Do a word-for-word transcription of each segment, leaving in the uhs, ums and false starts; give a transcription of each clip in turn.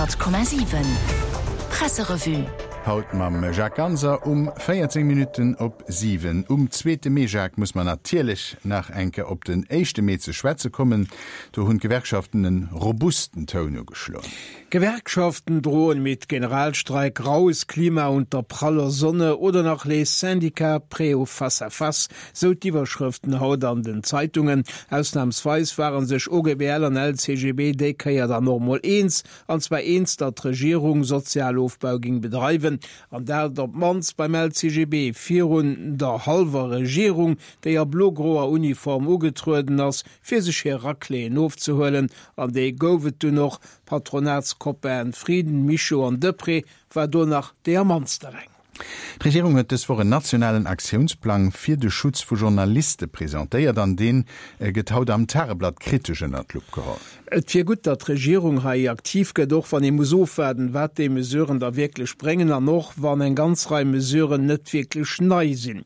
Honnert Komma siwen Presserevue. Haut mam Jacques Ganser um véierzéng Minutten op siwen. Um zweete Mee, Jacques, muss mer natierlech nach eng Kéier op den éischte Mee ze schwätze kommen. Do hunn d'Gewerkschaften e robusten Toun ugeschloen. Gewerkschaften drohen mit Generalstreik, raues Klima unter praller Sonne oder nach Les syndicats prêts au face-à-face, sou d'Iwwerschrëften haut an den Zeitungen. Ausnamsweis ware sech O G B L an L C G B déi Kéier dann och mol eens, an zwar eens, datt d'Regierung Sozialofbau géing bedreiwen, an dat op d'mannst beim L C G B virun der hallwer Regierung, déi a blo-groer Uniform ugetrueden ass, fir sech hir Racléeën ofzehuelen. An déi gouf et dunn och. Patronatskopaen Frieden, Mischo an Deprez war do nach déi am mannste reng. D'Regierung huet dës Woch en nationalen Aktiounsplang fir de Schutz vu Journaliste presentéiert, an dee gëtt haut am Tageblatt kritesch ënnert d'Lupp geholl. Et wier gutt, datt d'Regierung hei aktiv gëtt, och wann ee muss ofwaarden, wat déi Mesuren da wierklech bréngen an och wann eng ganz Rei Mesuren net wierklech nei sinn.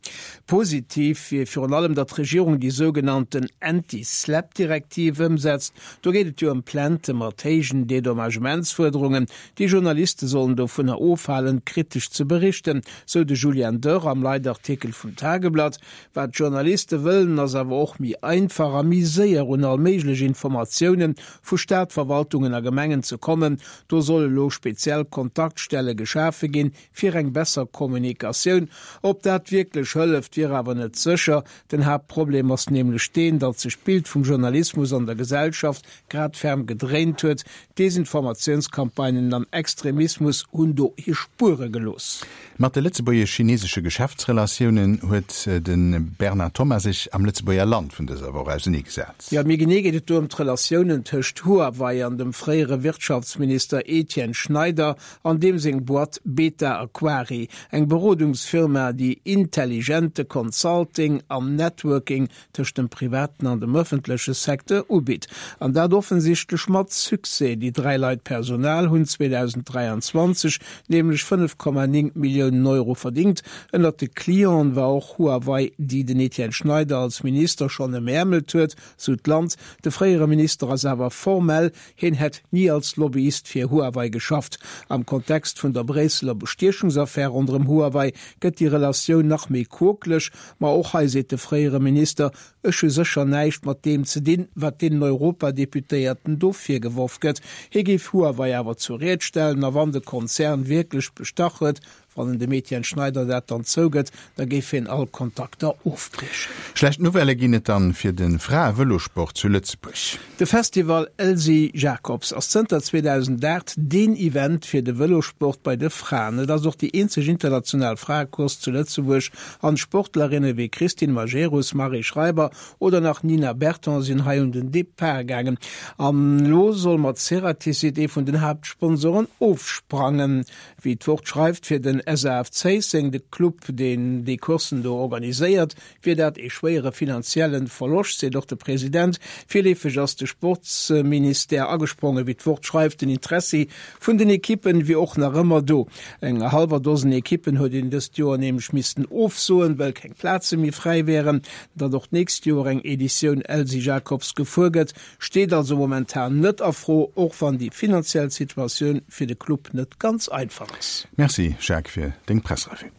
Positiv wier virun allem, datt d'Regierung déi sougenannten Anti-SLAPP-Direktiv ëmsetzt. Do geet et jo ëm Plaintë mat héijen Dedommagementsfuerderungen. Déi Journaliste sollen dovunner ofhalen, kritesch ze berichten, sou de Julian Dörr am Leitartikel vum Tageblatt. Wat d'Journaliste wëllen, ass awer och méi einfach a méi séier un all méiglech Informatioune vu Stadverwaltungen a Gemengen ze kommen. Do solle lo speziell Kontaktstelle geschafe ginn, fir eng besser Kommunikatioun. Ob dat wierklech hëlleft, wier awer net sécher. Den Haaptproblem ass nämlech deen, datt sech d'Bild vum Journalismus an der Gesellschaft grad ferm gedréint huet. Desinformatiounscampagnen an Extremismus hunn do hir Spuere gelooss. Mat de lëtzebuergesch-chinesesche Geschäftsrelatiounen huet de Bernard Thomas sech am Lëtzebuerger Land vun dëser Woch auserneegesat. Jo, méi genee geet et do ëm d'Relatiounen tëscht Huawei an dem fréiere Wirtschaftsminister Etienne Schneider an deem seng Boîte Beta Aquari, eng Berodungsfirma, déi intelligente Consulting an Networking tëscht dem privaten an dem ëffentleche Secteur ubitt. An dat offensichtlech mat Succès, déi dräi Leit Personal hunn zweedausend dräianzwanzeg nämlech fënnef Komma néng Milliounen Euro verdingt. Ënnert de Clienten war och Huawei, déi den Etienne Schneider als Minister schonn ëmäermelt huet, sou d'Land. De fréiere Minister ass awer formell, hien hätt ni als Lobbyist fir Huawei geschafft. Am Kontext vun der Bréisseler Bestiechungsaffär ronderëm Huawei gëtt déi Relatioun nach méi quokeleg. Ma och hei seet de fréiere Minister, Ech hu sécher näischt mat deem ze dinn, wat deenen Europadeputéierten do virgeworf gëtt. Hie géif Huawei awer zur Ried stellen a wann de Konzern wierklech bestach huet, wann en dem Etienne Schneider dat dann zougëtt, da géif hien all Kontakter ofbriechen. Schlecht Nouvellë ginn et dann fir de Frae-Vëlosport zu Lëtzebuerg. De Festival Elsy Jacobs ass zënter zweedausendaacht deen Event fir de Vëlosport bei de Fraen. Et ass och déi eenzeg international Fraecourse zu Lëtzebuerg an Sportlerinne wéi Christine Majerus, Marie Schreiber oder nach Nina Berton sinn hei un den Depart gaangen. An elo soll mat Ceratizit ee vun den Haaptsponsoren ofsprangen. Wéi d'Wort schreift, fir den S A F Zéisseng, de Club deen déi Courssen do organiséiert, wier dat ee schwéiere finanzielle Verloscht, seet och de President. Virleefeg ass de Sportsministère agesprongen, wéi d'Wort schreift. Den Interessi vun den Ekippen wier och nach ëmmer do. Eng hallwer Dosen Ekippen huet een dëst Joer nämlech missten ofsoen, well keng Plaze méi fräi wären. Datt och d'nächst Joer eng Editioun Elsy Jacobs gefuer gëtt, steet also momentan net a Fro, och wann déi finanziell Situatioun fir de Club net ganz einfach ass. Merci Jacques fir deng Presserevue.